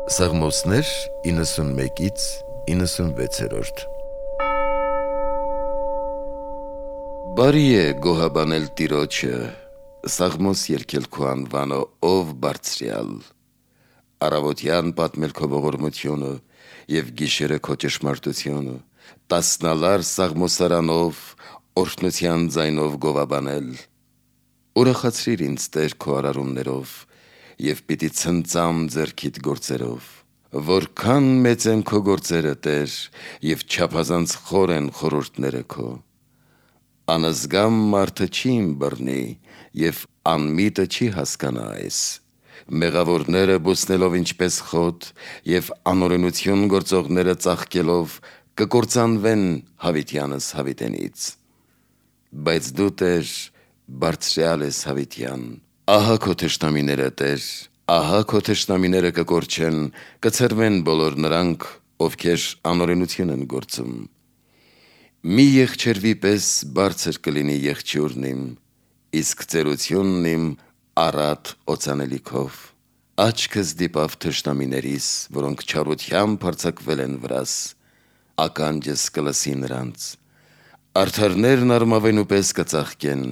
Սաղմոսներ 91-ից 96-րդ Բարի է գոհաբանել Տիրոջը, Սաղմոս երգել քո անվանը, ով բարձրյալ, առավոտյան պատմել քո ողորմությունը և գիշերը քո ճշմարտությունը, տասնալար սաղմոսարանով, օրհնության ձայնով գովաբանել։ Ուրախացրիր ինձ Տեր քո արարումներով և պիտի ցնծամ ձեռքիդ գործերով։ Որքան մեծ են քո գործերը, Տեր, և չափազանց խոր են խորհուրդները քո։ Անզգամ մարդը չի ըմբռնի, և անմիտը չի հասկանա այս։ Մեղավորները բուսնելով ինչպես խոտ, և անօրենություն գործողները ծաղկելով կկործանվեն հավիտյանս հավիտենից։ Բայց դու, Տեր, բարձրյալ ես հավիտյան։ Ահա քո թշնամիները, Տեր, ահա քո թշնամիները կկորչեն, կցրվեն բոլոր նրանք, ովքեր անօրենություն են գործում։ Մի եղջերվի պես բարձր կլինի եղջյուրն իմ, իսկ ծերությունն իմ առատ օծանելիքով։ Աչքս դիպավ թշնամիներիս, որոնք չարությամբ հարձակվել են վրաս, ականջս կլսի նրանց։ Արդարներն արմավենու պես կծաղկեն,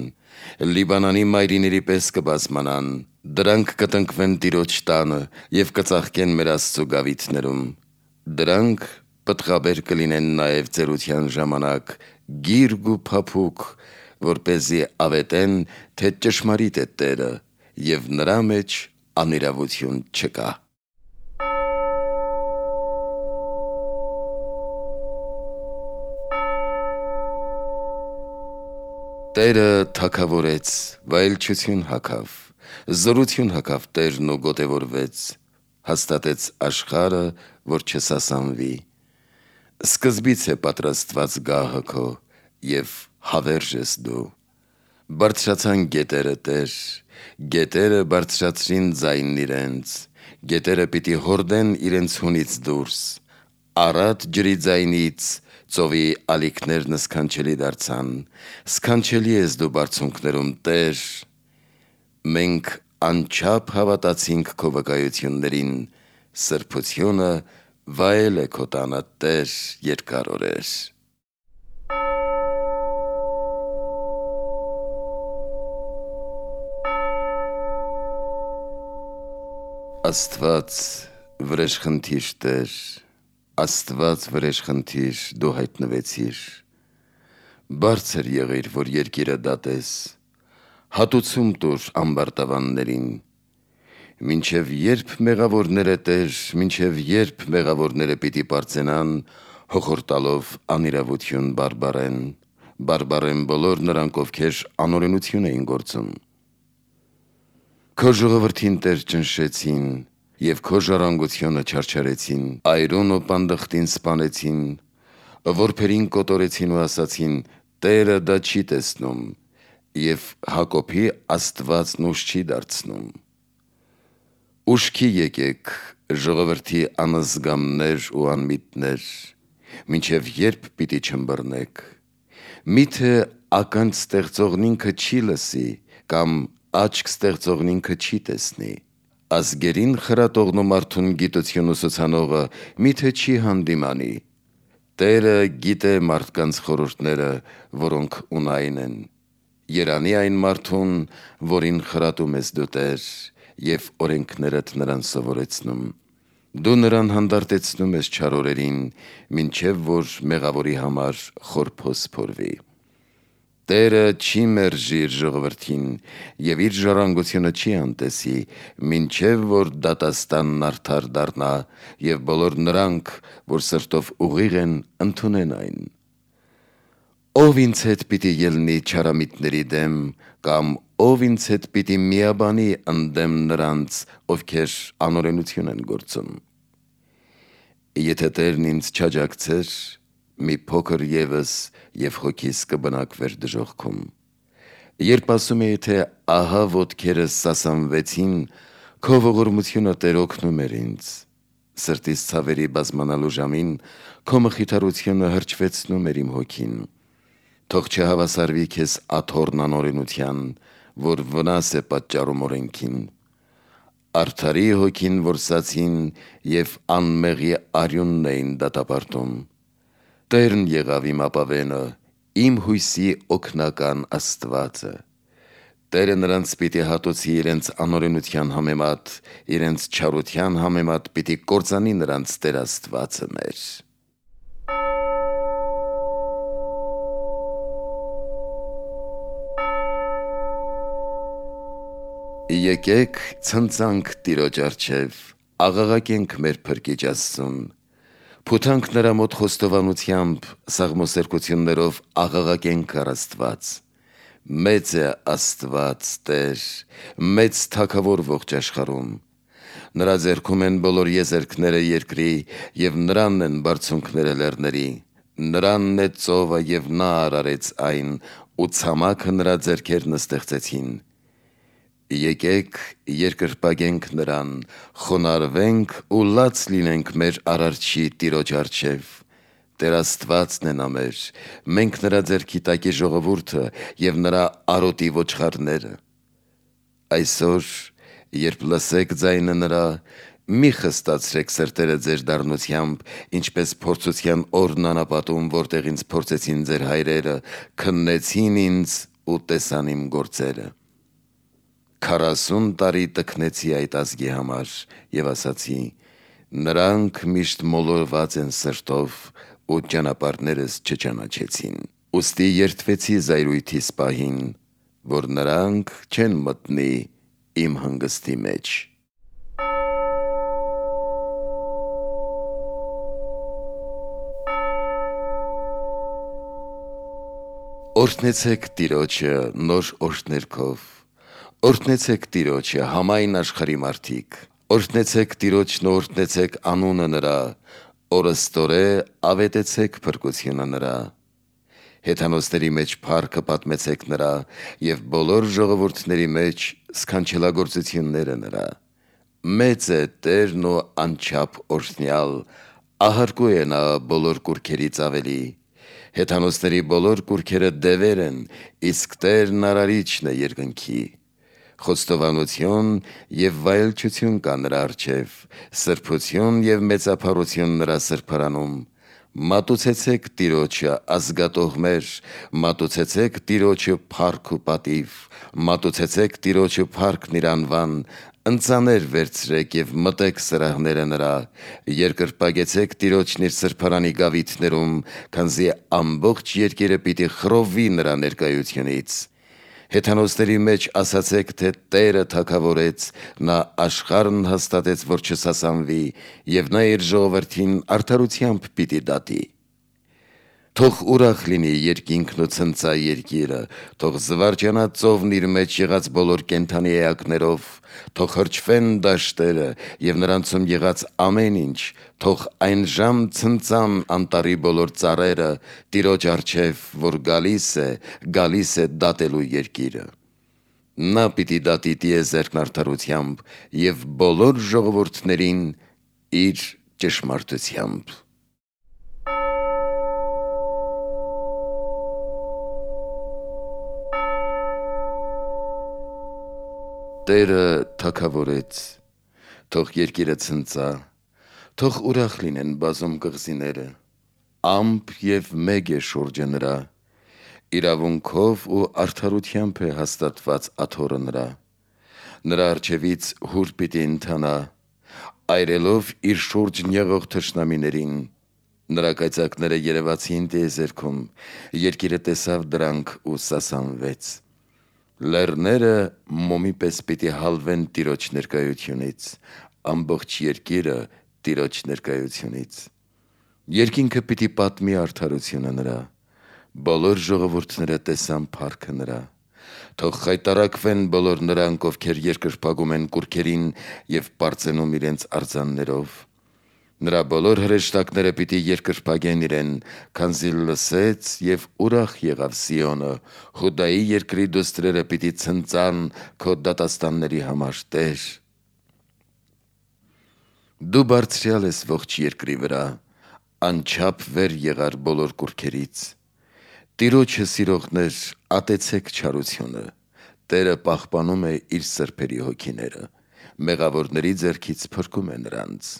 Լիբանանի մայրիների պես կբազմանան, դրանք կտնկվեն Տիրոջ տանը և կծաղկեն մեր Աստծու գավիթներում։ Դրանք պտղաբեր կլինեն նաև ծերության ժամանակ, գիրգ ու փափուկ, որպեսզի ավետեն, թե ճշմարիտ է Տերը, և նրա մեջ անիրավություն չկա։ Տերը թագավորեց, վայելչություն հագավ, զորություն հագավ Տերն ու գոտևորվեց, հաստատեց աշխարհը, որ չսասանվի։ Սկզբից է պատրաստված գահը քո, և հավերժ ես դու։ Բարձրացան գետերը, Տեր, գետերը բարձրացրին ձայնն իրենց, գետերը պիտի հորդեն իրենց հունից դուրս, առատ ջրի ձայնից ծովի ալիքներն սքանչելի դարձան, սքանչելի ես դու բարձունքներում, Տեր։ Մենք անչափ հավատացինք քո վկայություններին, սրբությունը վայել է քո տանը, Տեր, երկար օրեր։ Աստված վրեժխնդիր Տեր, Աստված վրեժխնդիր դու հայտնվեցիր։ Բարձր եղիր, որ երկիրը դատես, հատուցում տուր ամբարտավաններին։ Մինչև երբ մեղավորները, Տեր, մինչև երբ մեղավորները պիտի պարծենան, հոխորտալով անիրավություն բարբարեն բոլոր նրանք, ովքեր անօրենություն էին գործում։ Քո ժողովրդին, Տեր, ճնշեցին, և քո ժառանգությունը չարչարեցին, այրուն ու պանդխտին սպանեցին, որբերին կոտորեցին ու ասացին. Տերը դա չի տեսնում, և Հակոբի Աստվածն ուժ չի դարձնում։ Ուշքի եկեք, ժողովրդի անզգամներ ու անմիտներ, մինչև երբ պիտի չըմբռնեք։ Միթե ականջ ստեղծողն ինքը չի լսի, կամ աչք ստեղծողն ինքը չի տեսնի։ Ազգերին խրատողն ու մարդուն գիտություն ուսուցանողը միթե չի հանդիմանի։ Տերը գիտե մարդկանց խորհուրդները, որոնք ունայն են։ Երանի այն մարդուն, որին խրատում ես դու, Տեր, և օրենքներդ նրան սովորեցնում։ Դու նրան հանդարտեցնում ես չար օրերին, մինչև որ մեղավորի համար խորփոս փորվի։ Տերը չի մերժի իր ժողովրդին, և իր ժառանգությունը չի անտեսի, մինչև որ դատաստանն արդար դառնա, և բոլոր նրանք, որ սրտով ուղիղ են, ընդունեն այն։ Ով ինձ հետ պիտի ելնի չարամիտների դեմ, կամ ով ինձ հետ պիտի միաբանի ընդդեմ նրանց, ովքեր անօրենություն են գործում։ Եթե Տերն ինձ չաջակցեր, մի փոքր ևս, և հոգիս կբնակվեր դժոխքում։ Երբ ասում էի, թե ահա ոտքերս սասանվեցին, քո ողորմությունը, Տեր, օգնում էր ինձ։ Սրտիս ցավերի բազմանալու ժամին քո մխիթարությունը հրճվեցնում էր իմ հոգին։ Թող չհավասարվի քեզ աթոռն անօրենության, որ վնաս է պատճառում օրենքին։ Արդարի հոգին որսացին և անմեղի արյունն էին դատապարտում։ Տերն եղավ իմ ապավենը, իմ հույսի օգնական Աստվածը։ Տերը նրանց պիտի հատուցի իրենց անօրենության համեմատ, իրենց չարության համեմատ պիտի կործանի նրանց Տեր Աստվածը մեր։ Եկեք ցնծանք Տիրոջ առջև, աղաղակենք մեր Փրկիչ Աստծուն, փութանք նրա մոտ խոստովանությամբ, սաղմոսերկություններով աղաղակենք առ Աստված։ Մեծ է Աստված Տեր, մեծ Թագավոր ողջ աշխարհում։ Նրա ձեռքում են բոլոր եզերքները երկրի, և նրանն են բարձունքները լեռների։ Նրանն է ծովը, և նա արարեց այն, ու ցամաքը նրա ձեռքերն ստեղծեցին։ Եկեք երկրպագենք նրան, խոնարհվենք ու լաց լինենք մեր Արարչի Տիրոջ առջև։ Տեր Աստվածն է նա մեր, մենք նրա ձեռքի տակի ժողովուրդը և նրա արոտի ոչխարները։ Այսօր, երբ լսեք ձայնը նրա, մի խստացրեք սրտերը ձեր դառնությամբ, ինչպես փորձության օրն անապատում, որտեղ ինձ փորձեցին ձեր հայրերը, քննեցին ինձ ու տեսան իմ գործերը։ 40 տարի տքնեցի այդ ազգի համար և ասացի. նրանք միշտ մոլորված են սրտով ու ճանապարհներս չճանաչեցին։ Ուստի երդվեցի զայրույթիս պահին, որ նրանք չեն մտնի իմ հանգստի մեջ։ Օրհնեցեք Տիրոջը նոր օրհներգով։ Օրհնեցեք Տիրոջը, համայն աշխարհի մարդիկ։ Օրհնեցեք Տիրոջն ու օրհնեցեք անունը նրա, օրըստորե ավետեցեք փրկությունը նրա։ Հեթանոսների մեջ փառքը պատմեցեք նրա, և բոլոր ժողովուրդների մեջ սքանչելագործությունները նրա։ Մեծ է Տերն ու անչափ օրհնյալ, ահարկու է նա բոլոր կուռքերից ավելի։ Հեթանոսների բոլոր կուռքերը դևեր են, իսկ Տերն արարիչն է երկնքի։ Խոստովանություն և վայելչություն կա նրա առջև, սրբություն և մեծափառություն նրա սրբարանում։ Մատուցեցեք Տիրոջը ազգատողմեր, մատուցեցեք Տիրոջը փառք ու պատիվ, մատուցեցեք Տիրոջը փառքն իր անվան, ընծաներ վերցրեք և մտեք սրահները նրա, երկրպագեցեք Տիրոջն իր սրբարանի գավիթներում, քանզի ամբողջ երկիրը պիտի խռովվի նրա ներկայությունից։ Հեթանոսների մեջ ասացեք, թե Տերը թագավորեց, նա աշխարհն հաստատեց, որ չսասանվի, և նա իր ժողովրդին արդարությամբ պիտի դատի։ Թող ուրախ լինի երկինքն ու ցնծա երկիրը, թող զվարճանա ծովն իր մեջ եղած բոլոր կենդանի էակներով, թող հրճվեն դաշտերը և նրանցում եղած ամեն ինչ, թող այն ժամ ցնծան անտառի բոլոր ծառերը Տիրոջ առջև, որ գալիս է դատելու երկիրը։ Նա պիտի դատի տիեզերքն արդարությամբ և բոլոր ժողովուրդներին իր ճշմարտությամբ։ Տերը թագավորեց, թող երկիրը ցնծա, թող ուրախ լինեն բազում կղզիները, ամպ և մեկ է շուրջը նրա, իրավունքով ու արդարությամբ է հաստատված աթոռը նրա։ Նրա առջևից հուր պիտի ընթանա, այրելով իր շուրջն եղող թշնամիներին։ Նրա կայծակները երևացին տիեզերքում, երկիրը տեսավ դրանք ու սասանվեց։ Լեռները մոմի պես պիտի հալվեն Տիրոջ ներկայությունից, ամբողջ երկիրը Տիրոջ ներկայությունից։ Երկինքը պիտի պատմի արդարությունը նրա, բոլոր ժողովուրդները տեսան փառքը նրա։ Թող խայտառակվեն բոլոր նրանք, ովքեր երկրպագում են կուռքերին և պարծենում իրենց արձաններով։ Նրա բոլոր հրեշտակները պիտի երկրպագեն իրեն, քանզի լսեց և ուրախ եղավ Սիոնը, Հուդայի երկրի դուստրերը պիտի ցնծան քո դատաստանների համար, Տեր։ Դու բարձրյալ ես ողջ երկրի վրա, անչափ վեր եղար բոլոր կուռքերից։ Տիրոջը մեղավորների ձեռքից փրկում է նրանց։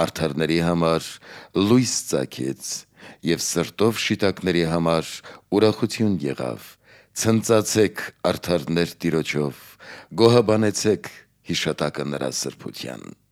Արդարների համար լույս ծագեց, և սրտով շիտակների համար ուրախություն եղավ։ Ցնծացեք արդարներ Տիրոջով, գոհաբանեցեք հիշատակը նրա սրբության։